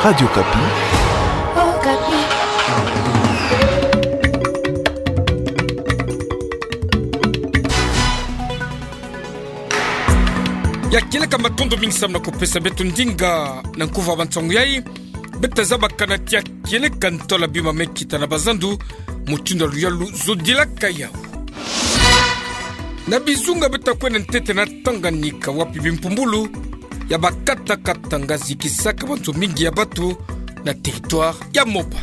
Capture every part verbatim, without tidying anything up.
Radio Okapi. Okapi. Ya kieleka matondo mingi samu na kupesa beto ndinga na nkuva wa bansangu yai. Beta zabaka na tia kieleka ntola bima me kita na bazandu, mutindu ya luyalu zodilaka yau. Na bizunga beta kwenda ntete na Tanganyika, wapi bimpumbulu ya bakata katanga zikisaka bantu mingi ya batu na territoire ya Moba.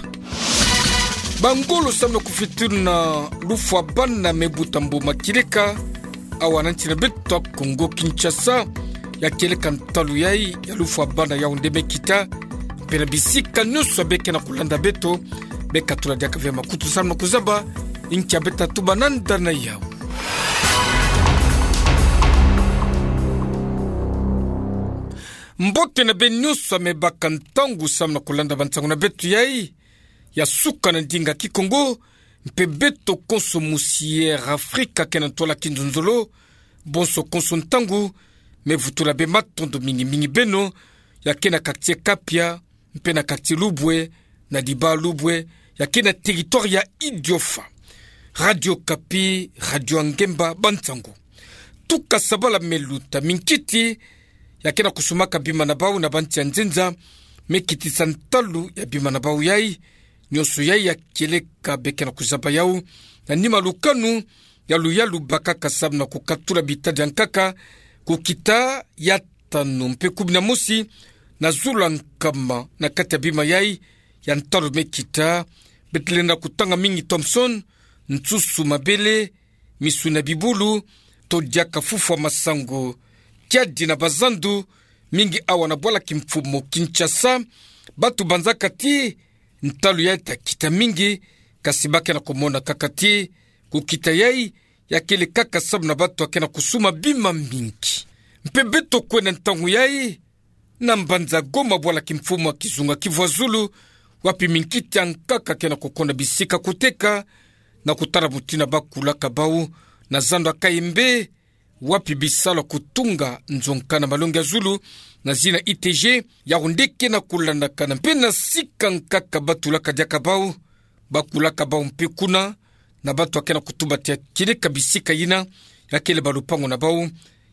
Bangolo samu na kufituna lufwa bana me buta mbuma kieleka awa na nsi na beto Kongo Kinshasa. Ya kieleka ntalu yai ya lufwa bana yau nde me kita, mpe na bisika nyonso beke na kulanda beto, beka tula diaka ve makutu samu na kuzaba nkia beta tuba nanda na yau. Mbote na beno nyonso me baka ntangu samu na kulanda bansangu na beto yai ya suka na ndinga Kikongo, mpe beto konso musi Air Afrika ke na ntwala kinzonzolo, bonso konso ntangu, me vutula be matondo mingi mingi beno, ya ke na quartier Kapia, mpe na quartier Lubwe, na Diba Lubwe, ya ke na territoire ya Idiofa. Radio Okapi, radio ya ngemba bansangu. Tuka sabala me luta minkiti ya ke na kusumaka bima na bau na bansi ya nzenza, me kitisa ntalu ya bima na bau yai. Nyonso yai ya kieleka beke na kuzaba yau na nima lukanu ya luyalu bakaka samu na kukatula bitadi ya nkaka kukita ya tanu mpe kumi na mosi na zulu ya nkama. Na kati ya bima yai ya ntalu me kita, bete lenda kutanga mingi Thomson, nsusu mabele, misuni ya bibulu, to diaka fufwa masangu, kiadi na bazandu, mingi awa na bwala kimfumu Kinshasa. Batu banzaka ti ntalu yai ta kita mingi, kasi ba ke na kumona kaka ti kukita yai ya kele kaka samu na batu ya ke na kusuma bima mingi. Mpe beto kwenda ntangu yai na mbanza Goma, bwala kimfumu ya kizunga Kivu ya Zulu, wapi minkiti ya nkaka ke na kukonda bisika kuteka na kutala mutindu ba kulaka bau na zandu ya Kayembe, wapi bisalu ya kutunga nzo nkaka na malongi ya zulu na zina I T G, yau nde ke na kulandakana mpe na sika nkaka ba tulaka diaka bau, ba kulaka bau mpe kuna, na batu ya ke na kutuba ti ya kieleka bisika yina, ya kele balupangu na bau,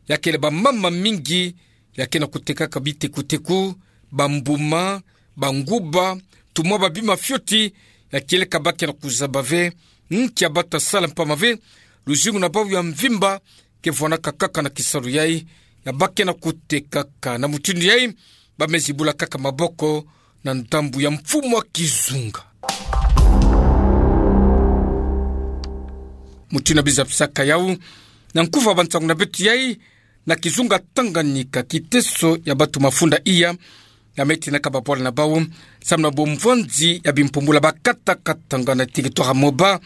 ya kele bamama mingi ya ke na kutekaka bitekuteku, bambuma, banguba, tumwa babima fioti, ya kieleka ba ke na kuzaba ve nkia bata sala, mpamba ve luzingu na bau ya mvimba ke vwanaka kaka na kisalu yai ya ba ke na kutekaka. Na mutindu yai, ba me zibula kaka maboko na ndambu ya mfumu ya kizunga. Mutindu na bizabisaka yau na nkuva bansangu na beto yai, na kizunga Tanganyika, kiteso ya batu mafunda iya ya me tinaka babwala na bau samu na bomvwanzi ya bimpumbulu ya bakata katanga na territoire ya Moba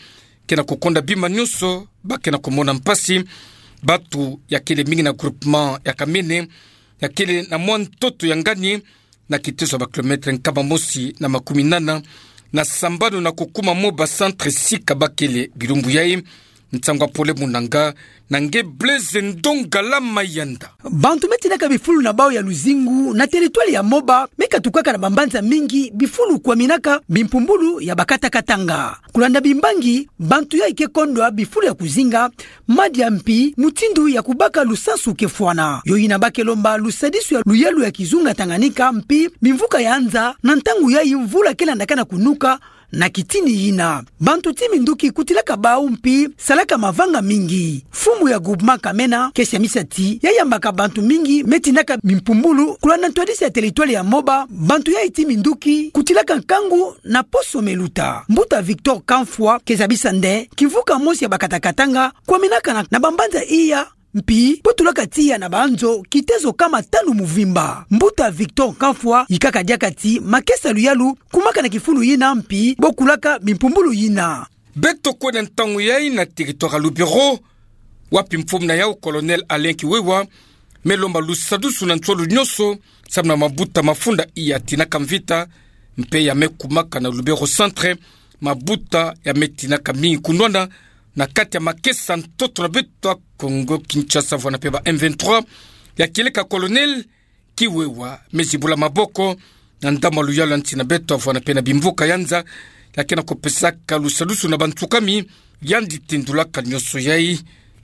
ke na kukonda bima nyonso, ba ke na kumona mpasi. Batu ya kele mingi na groupement ya Kamene, ya kele na mwa ntoto ya ngani, na kiteso ya ba kilomètre nkama mosi na makumi nana na sambanu na kukuma Moba Centre, sika ba kele bilumbu yai. Nsangu ya pole mu nanga na nge Blaise Ndongala Mayanda. Bantu me tinaka bifulu na bau ya luzingu na territoire ya Moba me katukaka na bambanza mingi bifulu kwaminaka bimpumbulu ya bakata katanga. Kulanda bimbangi, bantu yai ke kondwa bifulu ya kuzinga, madia mpi mutindu ya kubaka lusansu ke fwana. Yo yina ba ke lomba lusadisu ya luyalu ya kizunga Tanganyika mpi bimvuka ya nza na ntangu yai mvula ke landaka na kunuka na kitini yina. Bantu ti minduki kutilaka bau mpi salaka mavanga mingi. Mfumu ya groupement Kamene ke siamisa ti ya yambaka bantu mingi me tinaka bimpumbulu kulanda ntwadisi ya territoire ya Moba, bantu yai ti minduki kutilaka nkangu na poso me luta. Mbuta Victor Kamfwa ke zabisa nde kimvuka mosi ya bakata katanga kwaminaka na, na bambanza iya, mpi bo tulaka tiya na banzo kitezo kama tanu muvimba. Mbuta Victor Kamfwa yikaka diaka ti makesa luyalu kumaka na kifulu yina mpi bo kulaka bimpumbulu yina. Beto kwenda ntangu yai na territoire ya Lubero, wapi mfumu na yau Colonel Alain Kiwewa me lomba lusadusu na nswalu nyonso samu na mabuta mafunda iya tinaka mvita mpe ya me kumaka na Lubero Centre, mabuta ya me tinaka mingi kunwana na kati ya makesa ntoto na beto ya Kongo Kinshasa vwanda mpe ba M vingt-trois. Ya kieleka Colonel Kiwewa me zibula maboko na ndamwa luyalu ya nsi na beto, avwana pe na bimvuka ya nza, ya ke na kupesaka lusadusu na bantu kami, yandi tindulaka nionso yai,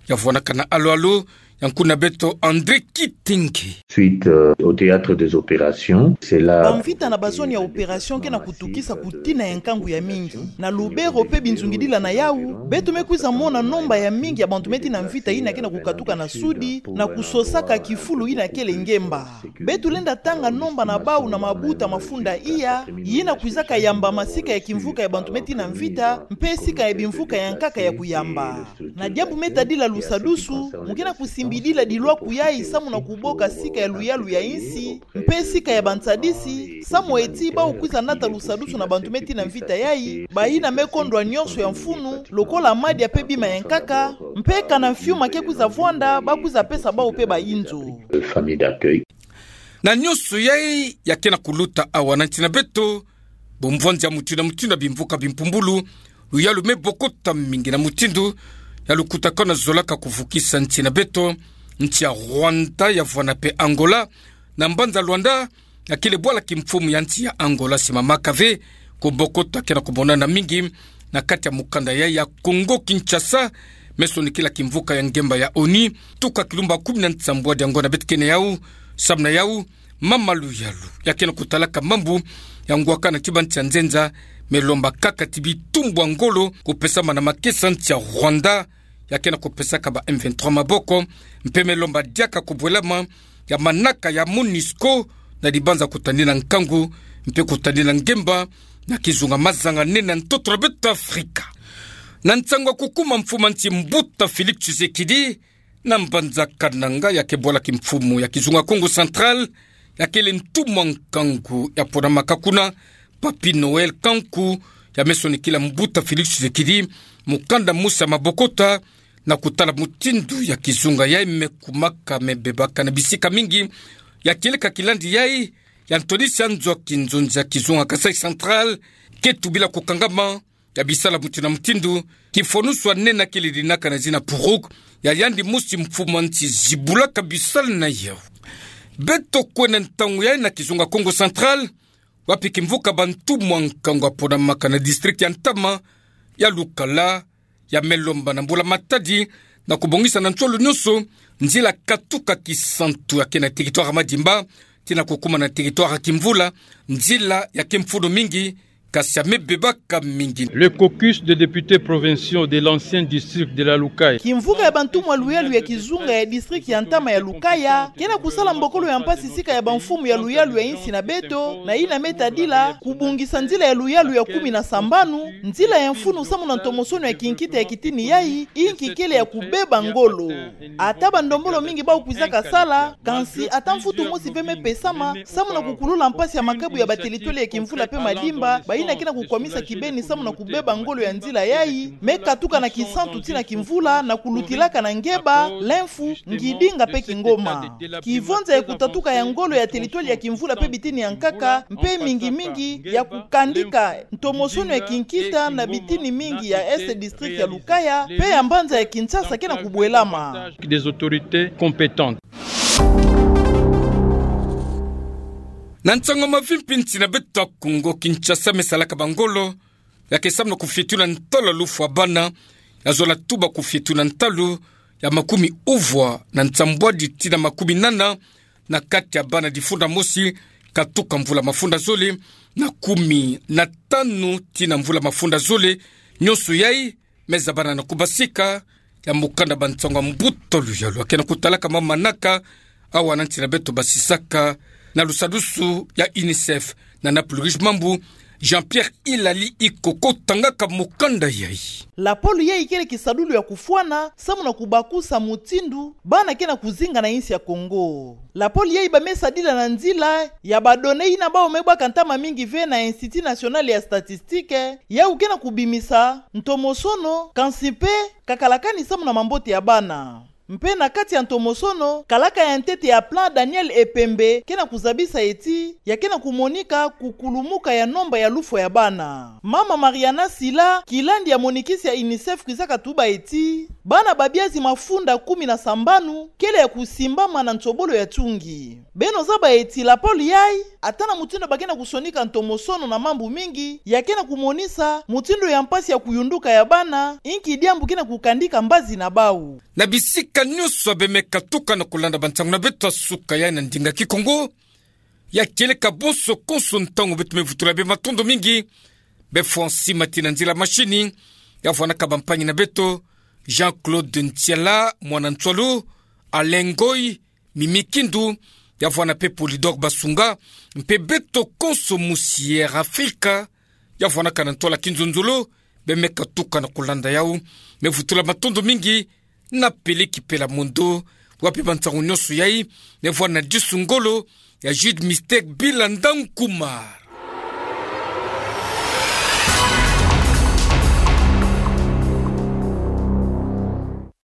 ya vwanaka na alo-alo, ya nkuna beto André Kitenge. Suite, euh, au théâtre des opérations, c'est là. Bamvita na bazone ya opération ke na kutukisa kutina ya nkangu ya mingi. Na Lubero pe binzungidila na yau, beto me kwiza mona nomba ya mingi ya bantu me tina mvita yina ke na kukatuka na sudi, na kusosaka kifulu yina kele ngemba. Beto lenda tanga nomba na bau na mabuta mafunda iya, yina kwizaka yamba masika ya kimvuka ya bantu me tina mvita, mpe sika ya bimvuka ya nkaka ya kuyamba. Na diambu me tadila lusadusu, mu ke na kusimbidila dilwaku yai samu na kuboka sika ya luyalu ya insi, mpe sika ya bansadisi, samu eti bau kwiza nata lusadusu na bantu me tina mvita yai, bayina me kondwa nionso ya mfunu, lokola madia pe bima ya nkaka, mpe kana mfiuma ke kwiza vwanda, ba kwiza pesa bau pe bayinzo. Famille d'accueil. Na nionso yai ya ke na kuluta awa na nsi na beto, bomvwanzi ya mutindu na mutindu ya bimvuka bimpumbulu, luyalu me bokota mingi na mutindu ya lukutakanu zolaka kuvukisa nsi na beto, nsi ya Rwanda ya vwana pe Angola, na mbanza Luanda, ya kele bwala kimfumu ya nsi ya Angola, Simama Kave, kubokota ke na kumonana mingi na kati ya mukanda yai ya Congo Kinshasa, me sonikila kimvuka ya ngemba ya ONU, tuka kilumba kumi na nsambwadi ya ngo na beto kene yau, samu na yau, mama luyalu ya ke na kutalaka mambu ya ngwaka na tiba nsi ya nzenza, me lomba kaka ti bitumbu ya ngolo kupesama na makesa nsi ya Rwanda, ya ke na kupesaka ba M vingt-trois maboko, mpe me lomba diaka kubwelama ya manaka ya MONUSCO, na dibanza kutadila nkangu, mpe kutadila ngemba, na kizunga mazanga nene na ntoto na beto Afrika. Na nsangu ya kukuma mfumu a nsi mbuta Félix Tshisekedi, na mbanza Kananga ya ke bwala kimfumu ya kizunga Kongo Central, ya kele ntumwa nkangu ya ponamaka kuna, Papy Noël Kanku, ya me sonikila mbuta Félix Tshisekedi mukanda mosi ya mabokota, na kutala mutindu ya kizunga yai me kumaka me bebaka na bisika mingi, ya kieleka kilandi yai, ya ntwadisi ya nzo ya kinzonzi ya kizunga Kasaï Central, ke tubila kukangama, ya bisala mutindu na mutindu, kifonusu ya nene kele dinaka na zina Puruk, ya yandi mosi mfumu a nsi zibulaka bisala na yau. Beto kwenda ntangu yai na kizunga Kongo Central, wapi kimvuka bantumwa nkangu ya ponamaka na district ya ntama ya Lukala, ya me lomba na mbula matadi, na kubongisa na nsolo nionso, nzila katuka Kisantu ya ke na territoire Madimba, tii na kukuma na territoire Kimvula, nzila ya ke mfunu mingi, kasi ya me bebaka mingi. Le caucus des députés provinciaux de l'ancien district de la Lukaya. Kimvuka ya bantumwa luyalu ya kizunga ya district ya ntama ya Lukaya, ke na kusala mbokolo ya mpasi sika ya bamfumu ya luyalu ya insi na beto, na yina me tadila, kubongisa nzila ya luyalu ya kumi na sambanu, nzila ya mfunu samu na ntomosono ya kinkita ya kitini yai, inki kele ya kubeba ngolo. Ata bandombolo mingi bau kwizaka sala, kansi ata mfutu mosi ve me pesama, samu na kukulula mpasi ya makabu ya batelitoli ya Kimvula pe Madimba, bayina ke na kukwamisa kibeni samu na kubeba ngolo ya nzila yai, me katuka na Kisantu tii na Kimvula, na kulutilaka na Ngeba, Lemfu, Ngidinga pe Kingoma. Kivonza ya kutatuka ya ngolo ya telitoli ya Kimvula pe bitini ya nkaka, mpe mingi mingi ya kukandika ntomosono ya kinkita na bitini mingi ya Est district ya Lukaya, pe ya mbanza ya Kinshasa ke na kubwelama. Des autorités compétentes. Na nsangu mavimpi, nsi na beto Kongo Kinshasa me salaka bangolo, ya ke samu na kufietula ntalu ya lufwa bana, ya zola tuba kufietula ntalu ya makumi uvwa na nsambwadi tii na makumi nana, na kati ya bana difunda mosi, katuka mvula mafunda zole na kumi na tanu tii na mvula mafunda zole, nionso yai me zabana na kubasika ya mukanda Bansangu ya mbuta luyalu ya ke na kutalaka ma manaka, awa na nsi na beto basisaka na lusadusu ya UNICEF, na Naples Rouge mambu, Jean-Pierre Ilali Ikoko tangaka mukanda yai. Lapolo yai kele kisadulu ya kufwana, samu na kubakusa mutindu bana ke na kuzinga na insi ya Kongo. Lapolo yai ba me sadila na nzila ya badonnées yina bau me bwaka ntama mingi ve na Institut National ya Statistique, yau ke na kubimisa ntomosono, kansi mpe kakalakani samu na mambote ya bana. Mpe na kati ya ntomosono, kalaka ya ntete ya plan Daniel Epembe ke na kuzabisa eti, ya ke na kumonika kukulumuka ya nomba ya lufwa ya bana. Mama Mariana Sila, kilandi ya monikisi ya UNICEF, kwizaka tuba eti, bana babiazi mafunda kumi na sambanu kele ya kusimbama na nsobolo ya tungi. Beno zaba eti lapolo yai Ata na mutindu ba ke na kusonika ntomosono na mambu mingi, ya ke na kumonisa mutindu ya mpasi ya kuyunduka ya bana, inki diambu ke na kukandika mbazi na bau. Na bisika nyonso ya be me katuka na kulanda bansangu na beto ya suka ya na ndinga Kikongo, ya kieleka bonso konso ntangu beto me vutula bê matondo mingi, bê fwa nsi mati na nzila mashini, ya vwanaka bampangi na beto, Jean-Claude Ntiala, mwana Ntsoalo, Alain Ngoy, Mimi Kindu, ya vwana mpe Polydor Basunga, mpe beto konso musi Air Afrika, ya vwanaka na ntwala kinzonzolo, bê me katuka na kulanda yau, me vutula matondo mingi, na Peleki Pela Mondo, wa mpe bansangu nyonso yayi, me vwana disu ngolo, ya Jude Mistake Bila Ndankuma.